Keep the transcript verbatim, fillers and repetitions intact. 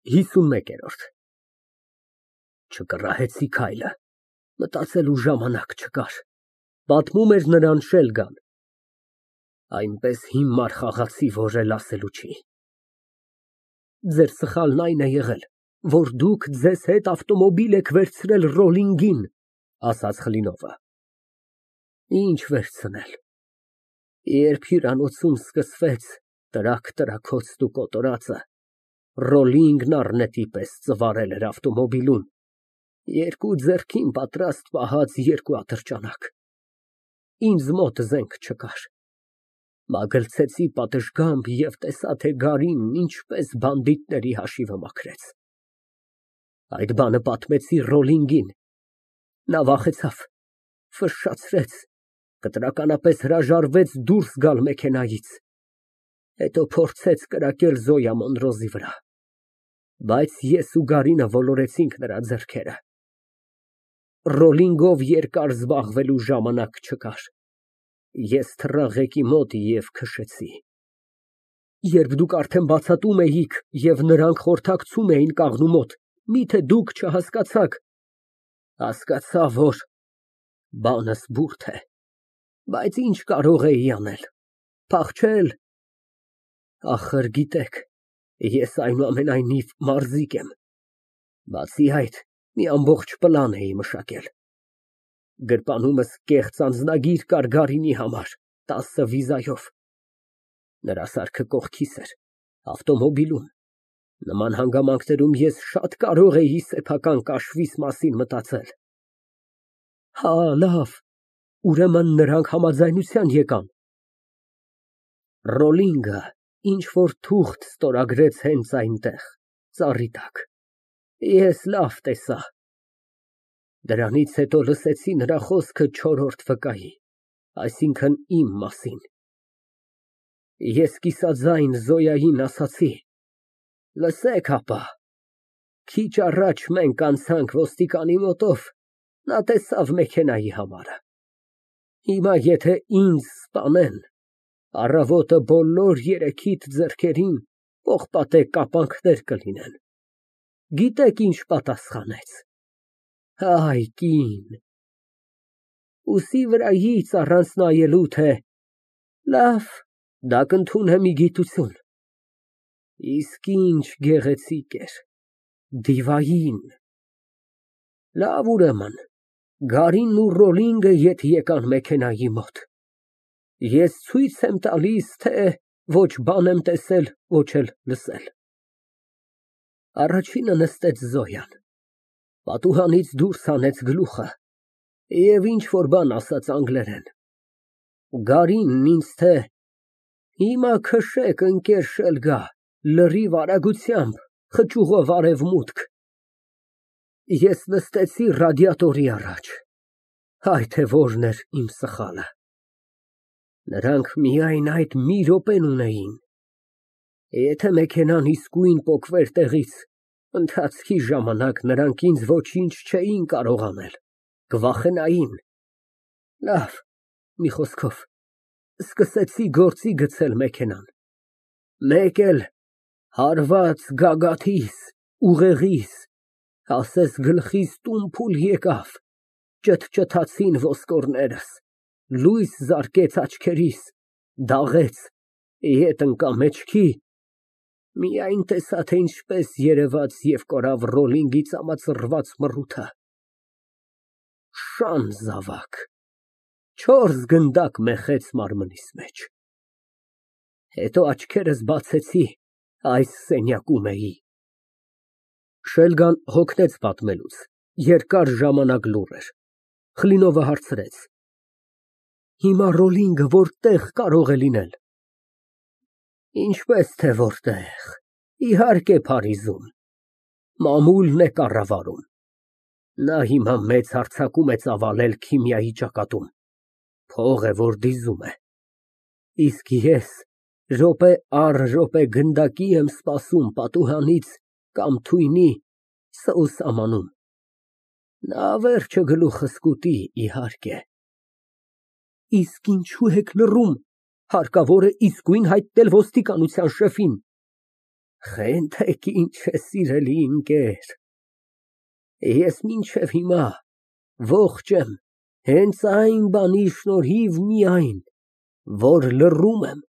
ՀԻսունմեկերորդ Չկռահեցի քայլը, մտածելու ժամանակ չկար, պատմում էր նրան Շելգան, այնպես հիմար խաղացի, որ էլ ասելու չի։ Ձեր սխալն այն է եղել, որ դուք ձեզ հետ ավտոմոբիլ եք վերցրել Ռոլինգին, ասաց Կլինովը։ Ինչ վերցնել, երբ հյուրանոցում սկսվեց տրակ֊տրաքոցն ու կոտորածը, Ռոլինգն առնետի պես ծվարել էր ավտոմոբիլում, երկու ձեռքին պատրաստ պահած երկու ատրճանակ, ինձ մոտ զենք չկար, մագլցեցի պատշգամբ և տեսա, թե գարին ինչպես բանդիտների հաշիվը մաքրեց, այդ բանը պատմեցի Ռոլինգին, նա վախեցավ, ֆշշացրեց, կտրականապես հրաժարվեց դուրս գալ մեքենայից, հետո փորձեց կրակել Զոյա Մոնդրոզի վրա, բայց ես ու Գարինը ոլորեցինք նրա ձեռքերը, Ռոլինգով երկար զբաղվելու ժամանակ չկար, ես թռա ղեկի մոտ և քշեցի, երբ դուք արդեն բացատում էիք և նրանք խորհրդակցում էին կաղնու մոտ, միթե դուք չհասկացաք, հասկացա, որ բանս բուրդ է, բայց ինչ կարող էի անել, փախչել, ախր գիտեք, ես այնուամենայնիվ մարզիկ եմ, բացի այդ, մի ամբողջ պլան էի մշակել, գրպանումս կեղծ անձնագիր կար Գարինի համար, տասը վիզայով, նրա սարքը կողքիս էր, ավտոմոբիլում, նման հանգամանքներում ես շատ կարող էի սեփական կաշվիս մասին մտածել։ Հա, լավ, ուրեմն նրանք համաձայնության եկան։ Ռոլինգը ինչ֊որ թուղթ ստորագրեց հենց այնտեղ, ծառի տակ, ես լավ տեսա, դրանից հետո լսեցի նրա խոսքը չորրորդ վկայի, այսինքն իմ մասին, ես կիսաձայն Զոյային ասացի. լսեք ապա, քիչ առաջ մենք անցանք ոստիկանի մոտով, նա տեսավ մեքենայի համարը, հիմա եթե ինձ սպանեն, առավոտը բոլոր երեքիդ ձեռքերին պողպատե կապանքներ կլինեն, գիտեք ինչ պատասխանեց, այ կին, ուսի վրայից առանց նայելու, թե լավ, դա կընդունեմ ի գիտություն, իսկ ինչ գեղեցիկ էր, դիվային, լավ ուրեմն, Գարինն ու Ռոլինգը ետ եկան մեքենայի մոտ, ես ցույց եմ տալիս, թե ոչ բան եմ տեսել, ոչ էլ լսել, առաջինը նստեց Զոյան, պատուհանից դուրս հանեց գլուխը և ինչ֊որ բան ասաց անգլերեն, Գարինն ինձ, թե հիմա քշեք, ընկեր Շելգա, լրիվ արագությամբ, խճուղով արևմուտք, ես նստեցի ռադիատորի առաջ, այ թե որն էր իմ սխալը, նրանք միայն այդ մի րոպեն ունեին, եթե մեքենան իսկույն պոկվեր տեղից, ընթացքի ժամանակ նրանք ինձ ոչինչ չէին կարող անել, կվախենային, լավ, մի խոսքով, սկսեցի գործի գցել մեքենան, մեկ էլ հարված գագաթիս, ուղեղիս, ասես գլխիս տուն֊փուլ եկավ, ճթճթացին ոսկորներս, լույս զարկեց աչքերիս, դաղեց, ետ ընկա մեջքի, միայն տեսա, թե ինչպես երևաց և կորավ Ռոլինգի ծամածռված մռութը, շան զավակ, չորս գնդակ մեխեց մարմնիս մեջ, հետո աչքերս բացեցի, այս սենյակում էի։ Շելգան հոգնեց պատմելուց, երկար ժամանակ լուռ էր, Կլինովը հարցրեց. հիմա Ռոլինգը որտեղ կարող է լինել։ Ինչպես թե որտեղ, իհարկե Փարիզում, մամուլն է կառավարում, նա հիմա մեծ հարձակում է ծավալել քիմիայի ճակատում, փող է, որ դիզում է, իսկ ես րոպե առ րոպե գնդակի եմ սպասում պատուհանից կամ թույնի սոուսամանում, նա վերջը գլուխս կուտի, իհարկե։ Իսկ ինչու եք լռում, հարկավոր է իսկույն հայտնել ոստիկանության շեֆին։ Խենթեք ինչ է, սիրելի ընկեր, ես մինչև հիմա ողջ եմ հենց այն բանի շնորհիվ միայն, որ լռում եմ։